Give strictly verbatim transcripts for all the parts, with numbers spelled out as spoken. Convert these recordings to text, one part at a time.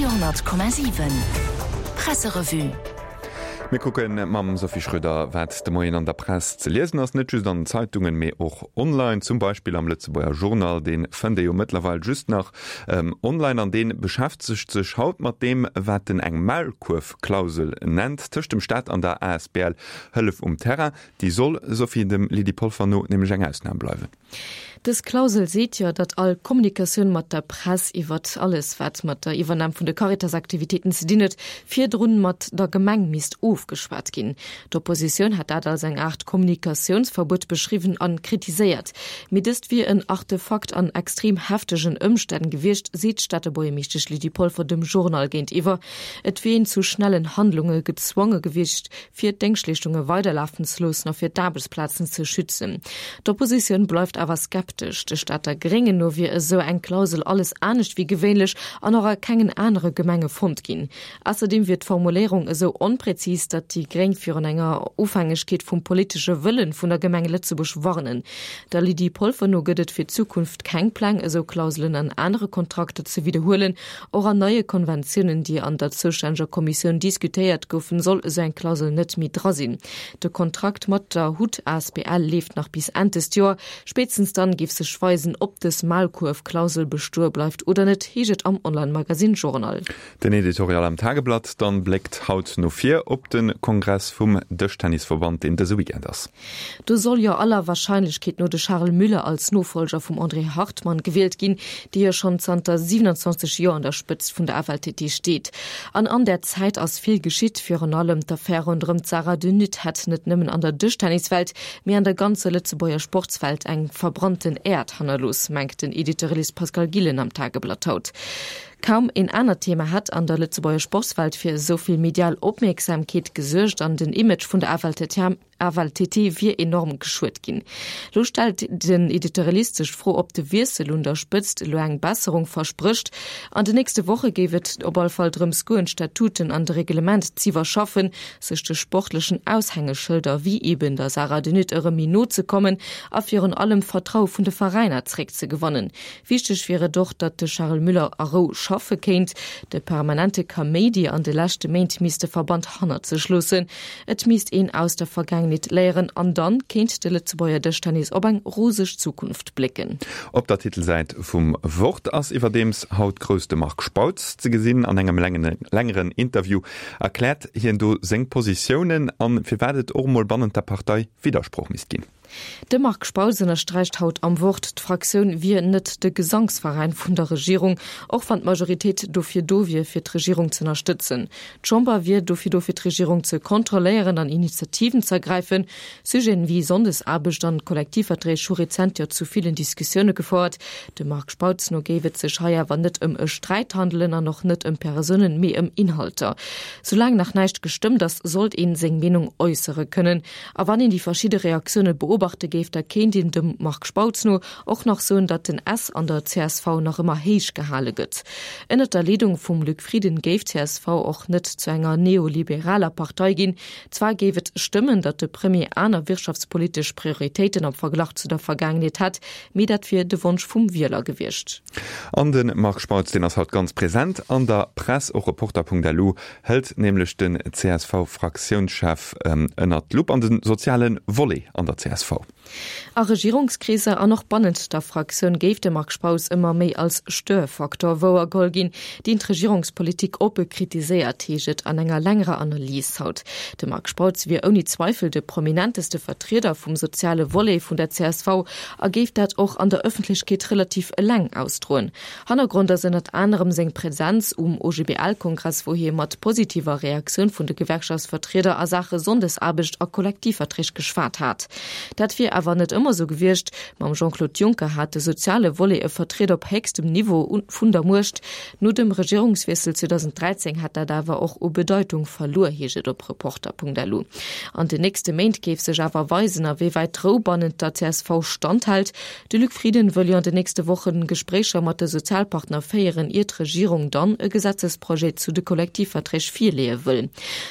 Radio honnert Komma siwen Presserevue. Mir kucke mam Sophie Schröder, wat de Moien an der Press ze liesen ass, net just an den Zeitungen, mee och online, zum Beispill am Lëtzebuerger Journal. Dee fënnt ee jo mëttlerweil just nach online an dee beschäftegt sech haut mat deem, wat en eng Maulkuerfklausel nennt tëscht dem Staat an der asbl Hëllef um Terrain. Déi soll, Sophie, dem Lydie Polfer no nämlech eng Ausnam bleiwen. Dës Klausel seet jo, datt all Kommunikatioun mat der Press iwwert alles, wat mat der Iwwernam vun de Caritas-Aktivitéiten ze dinn huet, virdrun mat der Gemeng misst ofgeschwat ginn. D'Oppositioun hat dat als eng Aart Kommunikatiounsverbuet beschriwwen an kritiséiert. Mee dëst wier en Artefakt an extrem heftegen Ëmstänn gewiescht, seet d'Stater Buergermeeschtesch Lydie Polfer dem Journal géintiwwer. Et wier een zu schnellen Handlunge gezwonge gewiescht, fir d'Déngschtleeschtunge weiderlafen ze loossen a fir d'Aarbechtsplazen ze schützen. D'Oppositioun bleift awer skeptesch. De Stater Gréngen no wier esou eng Klausel alles anescht wéi gewéinlech an och a kengen anere Gemenge fonnt ginn. Ausserdeem wier d'Formuléierung esou onprezis, datt déi Gréng virun enger Ofhängegkeet vum politesche Wëllen vun der Gemeng Lëtzebuerg warnen. Der Lydie Polfer no gëtt et fir d'Zukunft keng Pläng, esou Klauselen an anere Kontrakter ze widderhuelen. Och an neie Konventiounen, déi an der zoustänneger Kommissioun diskutéiert goufen, soll esou eng Klausel net méi dra sinn. De Kontrakt mat der hut asbl leeft nach bis Enn dëst Joer. Spéitstens dann géif sech weisen, ob dës Maulkuerfklausel bestoe bleift oder net, heescht et am Online-Magazin Journal. Den Editorial am Tageblatt dann bléckt haut no vir op de Kongress vum Dëschtennisverband, deen dëse Weekend ass. Do soll jo aller Warscheinlechkeet no de Charel Müller als Nofollger vum André Hartmann gewielt ginn, dee jo schonn zanter siewenundzwanzeg Joer an der Spëtzt vun der F L T T steet. An an där Zäit ass vill geschitt, virun allem d'Affär ronderëm d'Sarah de Nutte hätt net nëmmen an der Dëschtenniswelt, mee an der ganzer Lëtzebuerger Sportswelt eng verbrannten Äerd hannerlooss, mengt den Editorialist Pascal Gillen am Tageblatt haut. Kaum een anert Thema hätt an der Lëtzebuerger Sportswelt fir esou vill medial Opmierksamkeet gesuergt an den Image vun der F L T T F L T T wier enorm geschuet ginn. Lo stellt den Editorialist sech d'Fro, ob de Wiessel un der Spëtzt elo eng Besserung versprécht. An den nächste Woche géif et op all Fall drëms goen, d'Statuten an de Reglement z'iwwerschaffen, sech de sportlechen Aushängeschëlder wéi eben der Sarah de Nutte erëm méi no ze kommen a virun allem Vertraue vun de Veräiner zeréckzegewannen. Wichteg wier et och, datt de Charel Müller a Rou schaffe kéint. De permanente Kaméidi an de leschte Méint misst de Verband hannert sech loossen. Et misst een aus der Vergaangenheet léieren an dann kéint de Lëtzebuerger Dëschtennis op eng roseg Zukunft blécken. Op der Titelsäit vum Wort ass iwwerdeems haut grouss de Marc Spautz ze gesinn. An engem längeren Interview erkläert hien do seng Positiounen an firwat et och mol bannent der Partei Widdersproch misst ginn. De Marc Spautz ënnersträicht haut am Wort, d'Fraktioun wier net de Gesangsveräin vun der Regierung, och wann d'Majoritéit dofir do wier, fir d'Regierung ze ënnerstëtzen. D'Chamber wier dofir do, fir d'Regierung ze kontrolléieren an Initiativen ze ergräifen. Sujeten wéi Sonndesaarbecht an Kollektivverträg hu rezent jo zu villen Diskussioune gefouert. Dem Marc Spautz no géif et sech hei awer net ëm e Sträit handelen an och net ëm Persounen, mee ëm Inhalter. Soulaang nach näischt gestëmmt ass, sollt een seng Meenung äussere kënnen. A wann een déi verschidde Reaktioune beobachte géif, da kéint een dem Marc Spautz no och nach soen, datt den S an der C S V nach ëmmer héich gehale gëtt. Ënnert der Leedung vum Luc Frieden géif d'C S V och net zu enger neoliberaler Partei ginn. Zwar géif et stëmmen, datt de Premier aner wirtschaftspolitesch Prioritéiten am Verglach zu der Vergaangenheet hätt, mee dat wier de Wonsch vum Wieler gewiescht. An de Marc Spautz, deen ass haut ganz present an der Press. Och Reporter punkt L U hëlt nämlech den C S V-Fraktiounschef, ähm, ënnert d'Lupp an den sozialen Volet an der C S V. A Regierungskriser an och bannent der Fraktioun géif de Marc Spautz ëmmer méi als Störfaktor wouergeholl ginn, deen d'Regierungspolitik oppe kritiséiert, heescht et an enger längerer Analys haut. De Marc Spautz wier ouni Zweifel de prominenteste Vertrieder vum soziale Volet vun der C S V a géif dat och an der Ëffentlechkeet relativ eleng ausdroen. Hannergrond ass ënnert anerem seng Präsenz um O G B L-Kongress, wou hie mat positiver Reaktioun vun de Gewerkschaftsvertrieder a Sache Sonndesaarbecht a Kollektivverträg geschwat hat. Dat wier awer net ëmmer sou gewiescht. Mam Jean-Claude Juncker hat de soziale Volet e Vertrieder op héchstem Niveau vun der Muecht. No dem Regierungswiessel zweitausenddräizéng hat dat awer och u Bedeitung verluer, heescht et op Reporter punkt L U. An den nächste Méint géif sech awer weisen, a wéi wäit d'Rou bannent der C S V standhält. De Luc Frieden wëll jo an den nächste Wochen Gespréicher mat de Sozialpartner féieren, ier d'Regierung dann e Gesetzesprojet zu de Kollektivverträg virleeë wëll.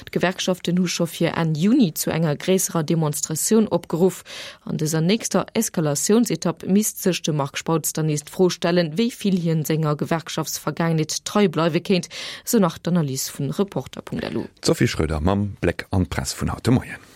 D'Gewerkschaften hu scho fir Enn Juni zu enger gréisserer Demonstratioun opgeruff. An dëser nächster Eskalatiounsetapp misst sech de Marc Spautz dann nees d'Fro stellen, wéi vill hien senger Gewerkschaftsvergaangenheet trei bleiwe kéint, sou nach d'Analys vun Reporter.lu. D'Sophie Schröder mam Bléck an d'Press vun haut de Moien.